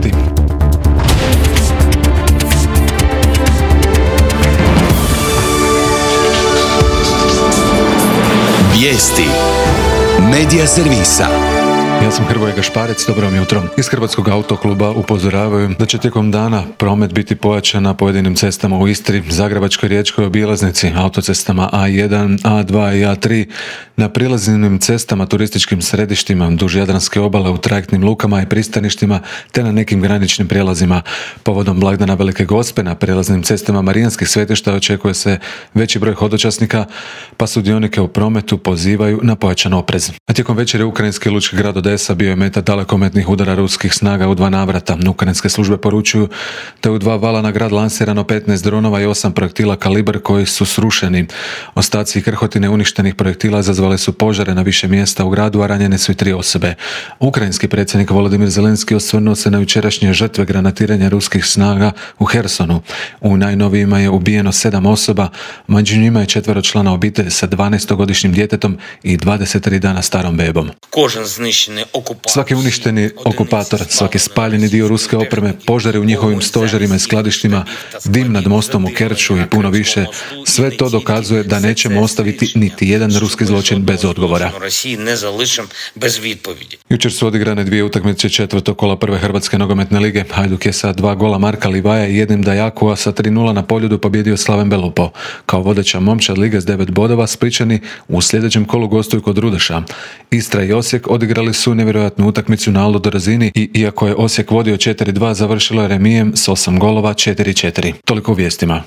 sati. Vijesti Medija servisa. Ja sam Hrvoje Gašparec, dobro vam jutro. Iz Hrvatskog autokluba upozoravaju da će tijekom dana promet biti pojačan na pojedinim cestama u Istri, Zagrebačkoj riječkoj obilaznici, autocestama A1, A2 i A3, na prilaznim cestama, turističkim središtima, duž Jadranske obale, u trajektnim lukama i pristaništima, te na nekim graničnim prijelazima. Povodom blagdana Velike Gospe na prijelaznim cestama marijanskih svetišta očekuje se veći broj hodočasnika, pa sudionike u prometu pozivaju na pojačan oprez. A tijekom večeri ukrajinski lučki grad Odesa bio je meta dalekometnih udara ruskih snaga u 2 navrata. Ukrajinske službe poručuju da je u 2 vala na grad lansirano 15 dronova i 8 projektila kalibar koji su srušeni. Ostaci i krhotine uništenih projektila izazvale su požare na više mjesta u gradu, a ranjene su i 3 osobe. Ukrajinski predsjednik Volodimir Zelenski osvrnuo se na jučerašnje žrtve granatiranja ruskih snaga u Hersonu. U najnovijima je ubijeno 7 osoba, među njima je 4 člana obitelji sa 12-godišnjim djetetom i 23 dana starom bebom. Svaki uništeni okupator, svaki spaljeni dio ruske opreme, požari u njihovim stožerima i skladištima, dim nad mostom u Kerču i puno više, sve to dokazuje da nećemo ostaviti niti jedan ruski zločin bez odgovora. Jučer su odigrane 2 utakmice četvrtog kola prve Hrvatske nogometne lige. Hajduk je sa 2 gola Marka Livaja i 1 Dajakua sa 3:0 na Poljudu pobjedio Slaven Belupo. Kao vodeća momčad lige s 9 bodova, Splićani u sljedećem kolu gostuju kod Rudeša. Istra i Osijek odigrali su nevjerojatnu utakmicu na Aldo razini i iako je Osijek vodio 4:2, završilo je remijem s 8 golova 4:4. Toliko u vijestima.